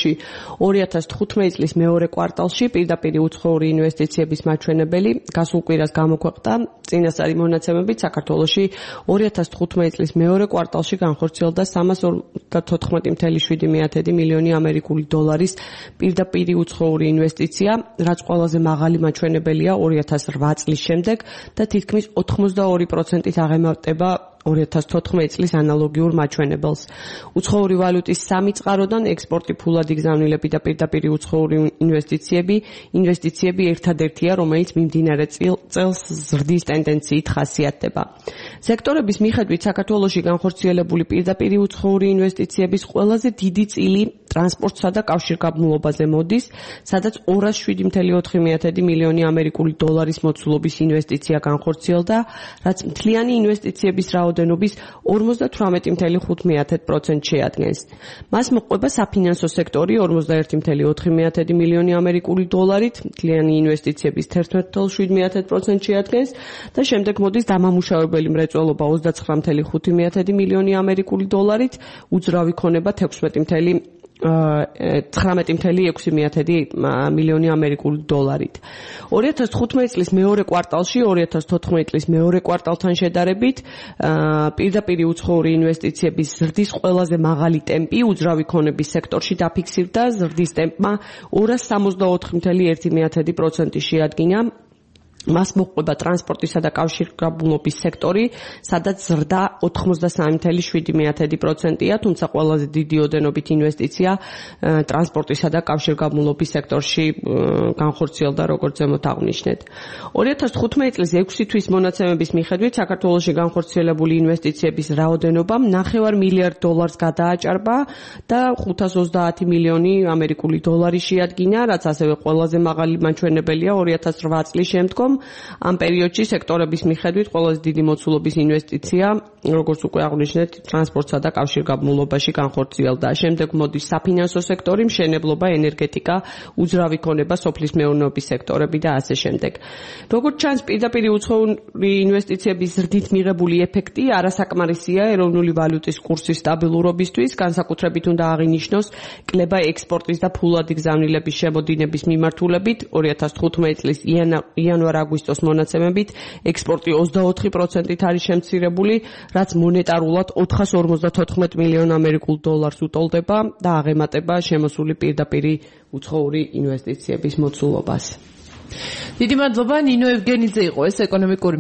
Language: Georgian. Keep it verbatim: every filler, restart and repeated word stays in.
საქართველოში ორი ათას თხუთმეტი წლის მეორე კვარტალში პირდაპირ უცხოური ინვესტიციების მაჩვენებელი გასულ კვირას გამოქვეყნდა. წინასწარი მონაცემებით საქართველოში ორი ათას თხუთმეტი წლის მეორე კვარტალში განხორციელდა სამას ოცდათოთხმეტი ათეული მილიონი ამერიკული დოლარის პირდაპირ უცხოური ინვესტიცია, რაც ყველაზე მაღალი მაჩვენებელია ორი ათას რვა წლის შემდეგ და თითქმის ოთხმოცდაორი პროცენტით აღემატება ორი ათას თოთხმეტი წლის ანალოგიურ მაჩვენებელს. უცხოური ვალუტის სამი წყაროდან ექსპორტი, ფულადი გზავნილები და პირდაპირ უცხოური ინვესტიციები, ინვესტიციები ერთადერთია, რომელიც მიმდინარე წელს ზრდის ტენდენციით ხასიათდება. სექტორების მიხედვით საქართველოში განხორციელებული პირდაპირ უცხოური ინვესტიციების ყველაზე დიდი წილი ტრანსპორტსა და კავშირგაბმულობაზე მოდის, სადაც ორას შვიდი ათეული ოთხი მილიონი ამერიკული დოლარის მოცულობის ინვესტიცია განხორციელდა, რაც მთლიანი ინვესტიციების რაოდენობის ორმოცდათვრამეტი ათეული ხუთი პროცენტს შეადგენს. მას მოყვება საფინანსო სექტორი ორმოცდაერთი ათეული ოთხი მილიონი ამერიკული დოლარით, მთლიანი ინვესტიციების თერთმეტ ათეული შვიდ პროცენტს შეადგენს და შემდეგ მოდის დამამუშავებელი მრეწველობა ოცდაცხრა ათეული ხუთი მილიონი ამერიკული დოლარით, უძრავი ქონება თექვსმეტი ათეული ცხრამეტი ათეული ექვსი მილიონი ამერიკული დოლარით. ორი ათას თხუთმეტი წლის მეორე კვარტალში ორი ათას თოთხმეტი წლის მეორე კვარტალთან შედარებით პირდაპირ უცხოური ინვესტიციების ზრდის ყველაზე მაღალი ტემპი უძრავი ქონების სექტორში დაფიქსირდა, ზრდის ტემპმა ორას სამოცდაოთხი ათეული ერთი პროცენტი შეადგინა. მას მოყვება ტრანსპორტისა და კავშირგაბმულობის სექტორი, სადაც ზრდა ოთხმოცდასამი ათეული შვიდი პროცენტია, თუმცა ყველაზე დიდი ოდენობით ინვესტიცია ტრანსპორტისა და კავშირგაბმულობის სექტორში განხორციელდა, როგორც ზემოთ აღვნიშნეთ. ორი ათას თხუთმეტი წლის ექვსი თვის მონაცემების მიხედვით საქართველოში განხორციელებული ინვესტიციების რაოდენობა ნახევარ მილიარდ დოლარს გადააჭარბა და ხუთას ოცდაათი მილიონი ამერიკული დოლარი შეადგინა, რაც ასევე ყველაზე მაღალი მაჩვენებელია ორი ათას რვა წლის შემდგომ. ამ პერიოდში სექტორების მიხედვით ყველაზე დიდი მოცულობის ინვესტიცია, როგორც უკვე აღვნიშნეთ, ტრანსპორტსა და კავშირგაბმულობაში განხორციელდა. შემდეგ მოდის საფინანსო სექტორი, მშენებლობა, ენერგეტიკა, უძრავი ქონება, სოფლის მეურნეობის სექტორები და ასე შემდეგ. როგორც ჩანს, პირდაპირ უცხოური ინვესტიციების ზრდით მიღებული ეფექტი არასაკმარისია ეროვნული ვალუტის კურსის სტაბილურობისთვის, განსაკუთრებით უნდა აღინიშნოს კლება ექსპორტის და ფულადი გზავნილების შემოდინების მიმართულებით ორი ათას თხუთმეტი წლის იანვარ აგვისტოს მონაცემებით ექსპორტი ოცდაოთხი პროცენტით არის შემცირებული, რაც მონეტარულად ოთხას ორმოცდათოთხმეტ მილიონ ამერიკულ დოლარს უტოლდება და აღემატება შემოსული პირდაპირ უცხოური ინვესტიციების მოცულობას. დიდი მადლობა, ნინო ევგენიძე იყო ეს ეკონომიკური